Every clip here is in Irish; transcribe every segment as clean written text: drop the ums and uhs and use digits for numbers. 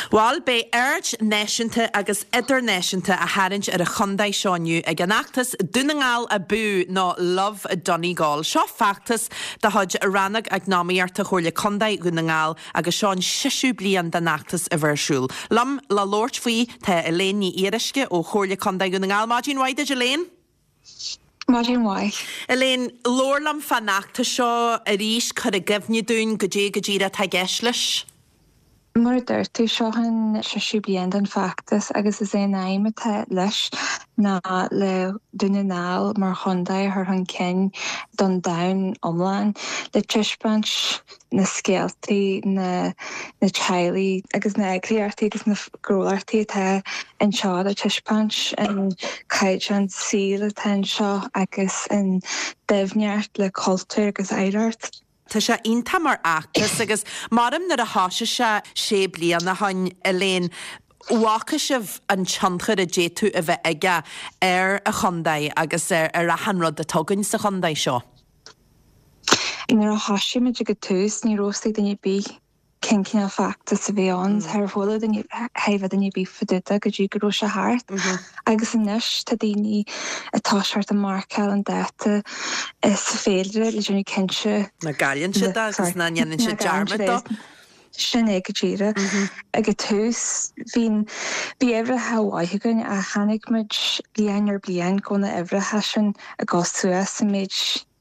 Bhal, beidh aird náisiúnta agus idirnáisiúnta á tharraingt ar an chontae seo inniu ag an fheachtas Dún na nGall Abú nó Love Donegal. Seo feachtas de chuid Rannóg Eacnamaíochta Chomhairle Contae Dhún na nGall agus seo an seisiú bliain den fheachtas a bheith ar siúl. Liom le labhairt faoi tá Elaine Ní Fhíoruisce ó Chomhairle Contae Dhún na nGall. Maidin mhaith duit Elaine! Maidin mhaith. Elaine, labhair liom fán fheachtas seo arís, cuir i gcuimhne dúinn goidé go díreach atá i gceist leis. Mar a dúirt tú, seo an seisiú bliain den fheachtas agus is é an aidhm atá leis ná le Dún na nGall mar chontae a chur chun cinn don domhan iomlán, le taispeáint na scéaltaí, na teaghlaigh agus na heagraíochtaí agus na gnólachtaí atá anseo le taispeáint an caighdeán saoil atá anseo agus an doimhneacht le cultúr agus oidhreacht. Tá sé iontach mar fheachtas agus maram nuair a thoisigh sé sé bliana ó shoin, Elaine, bhfaca sibh an tionchar a d'fhéadfadh a bheith aige ar an chontae agus ar achan rud atá againn sa chontae seo. Nuair a thoisigh muid ag an tús ní raibh fhios ag duine ar bith cén cineál feachtas a bhí ann. Char chuala duine, char duine ar bith fá dtaobh de go dtí go raibh sé thart. Agus anois tá daoine ag toiseacht ag marcáil an dáta sa féilire le déanamh cinnte. Nach gcailleann siad é agus nach ndéanann siad dearmad dó. Sin é go díreach. Ag an tús bhí, bhí uimhreacha mhaith againn ach chonaic muid bliain ar bliain go bhfuil na huimhreacha sin ag dul suas an méid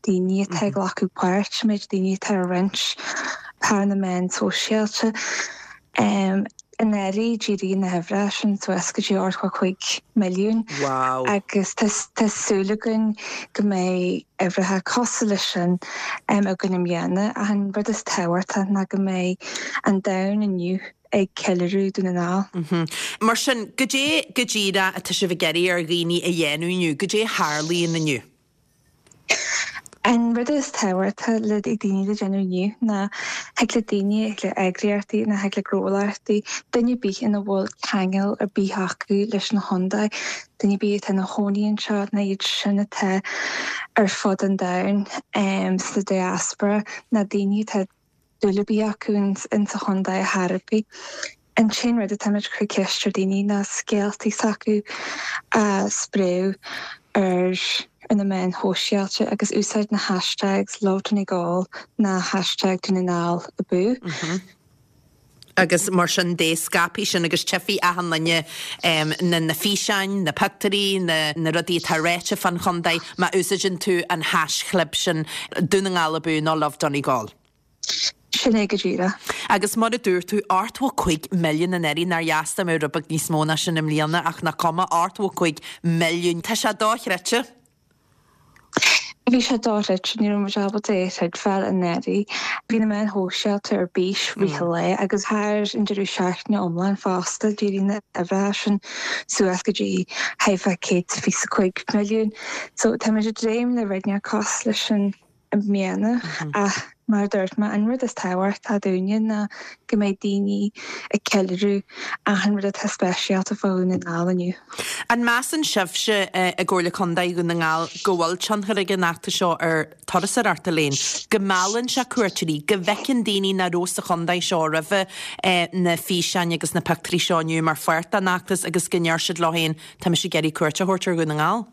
daoine atá ag glacadh páirt, an méid daoine atá ag roinnt thar na meáin sóisialta. Anuraidh d'éirigh na huimhreacha sin suas go dtí 85 milliún agus tá súil againn go mbeidh uimhreacha cosúil leis sin againn i mbliana ach an rud is tábhachtaí ná go mbeidh an domhan inniu ag ceiliúradh Dún na nGall. Mar sin, goidé go díreach atá sibh ag iarraidh ar dhaoine a dhéanamh inniu? Goidé a tharlaíonn inniu? An rud is tábhachtaí le daoine le déanamh inniu ná thig le daoine, thig le eagraíochtaí nó thig le gnólachtaí, duine ar bith ina bhfuil ceangal ar bith acu leis an chontae, duine ar bith atá ina chónaí anseo nó iad sin atá ar fud an domhain sa diaspora nó daoine atá dúil ar bith acu in sa chontae ar chor ar bith. An t-aon rud atáimid ag cur ceist ar daoine ná scéaltaí s'acu a spréadh ar ar na meáin shóisialta agus úsáid na hashtags LoveDonegal ná hashtag Dún na nGall Abú. Agus mar sin de, scaipfidh sin agus tchífidh achan duine na na físeáin, na pictiúirí, na na rudaí atá ráite fán chontae má úsáideann tú an haischlib sin Dún na nGall Abú nó Love Donegal. Sin é go díreach. Agus mar a dúirt tú, 85 milliún anuraidh, nár dheas dá mbeadh rud beag níos mó ná sin i mbliana, ach nach cuma, 85 milliún. Tá sé dochreidte. Bhí sé dochreidte, ní raibh muid ábalta é a chreidbheáil anuraidh. Bhí na meáin shóisialta ar bís rith an lae agus thar an deireadh seachtaine iomlán fosta, d'éirigh na huimhreacha sin suas go dtí thart fá 125 milliún. So táimid ag dréim le rud inteacht cosúil leis sin. i mbliana ach mar a dúirt mé, an rud is tábhachtaí dúinne ná go mbeidh daoine ag ceiliúradh achan rud atá speisialta fá Dhún na nGall inniu. An measann sibhse i gComhairle Contae Dhún na nGall go bhfuil tionchar ag an fheachtas seo ar turasóireacht, Elaine? Go meallann sé cuairteoirí, go bhfeiceann daoine nach raibh sa chontae seo roimhe na físeáin agus na pictiúirí seo inniu mar pháirt den fheachtas agus go ndeir siad leo féin, tá mise ag iarraidh cuairt a thabhairt ar Dhún na nGall?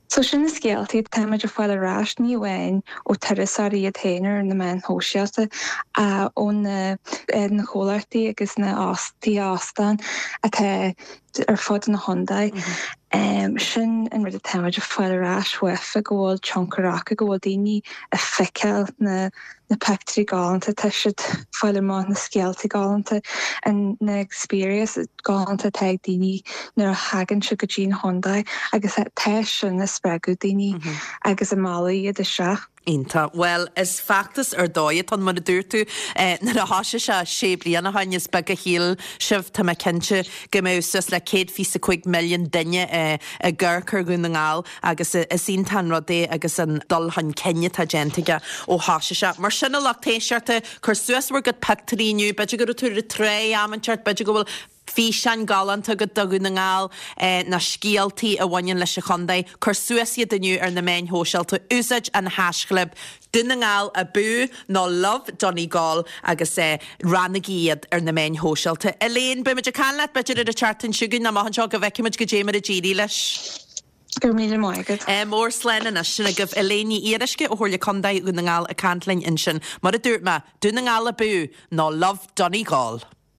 So sin na scéaltaí atáimid ag fáil ar ais, ní amháin ó turasóirí iad féin ar na meáin shóisialta ach ó na na comhlachtaí agus na tithe óstán atá ar fud an chontae. Sin an rud atáimid ag fáil ar ais uafa, go bhfuil tionchar acu, go bhfuil daoine ag feiceáil na na pictiúirí galánta, tá siad ag fáil amach na scéaltaí galánta, na experiences galánta atá ag daoine nuair a thagann siad go dtí an chontae agus tá sin ag spreagadh daoine agus ag mealladh iad isteach. Iontach. Bhuel, is feachtas ar dóigh atá ann, mar a dúirt tú, nuair a thoisigh sé sé bliana ó shin, is beag a shíl sibh, tá mé cinnte, go mbeadh suas le 125 milliún duine ag amharc ar Dhún na nGall. Agus is iontach an rud é agus an dul chun cinn atá déanta aige ó thoisigh sé. Mar sin, a lucht éisteachta, cuir suas bhur gcuid pictiúirí inniu. B'fhéidir go raibh tú ar an trá am inteacht, b'fhéidir go bhfuil. Físeáin galánta agat do Dhún na nGall, na scéaltaí a bhaineann leis an chontae, cuir suas iad inniu ar na meáin shóisialta, úsáid an haischlib Dún na nGall Abú nó Love Donegal agus roinnigí iad ar na meáin shóisialta. Elaine, beimid ag caint leat b'fhéidir ar an tseachtain seo chugainn nó amach anseo go bhfeicfimid goidé mar a d'éirigh leis. Go raibh míle maith agat. Ádh mór, slán anois. Sin agaibh Elaine Ní Fhíoruisce ó Chomhairle Contae Dhún na nGall ag caint linn ansin. Mar a dúirt mé, Dún na nGall Abú nó Love Donegal!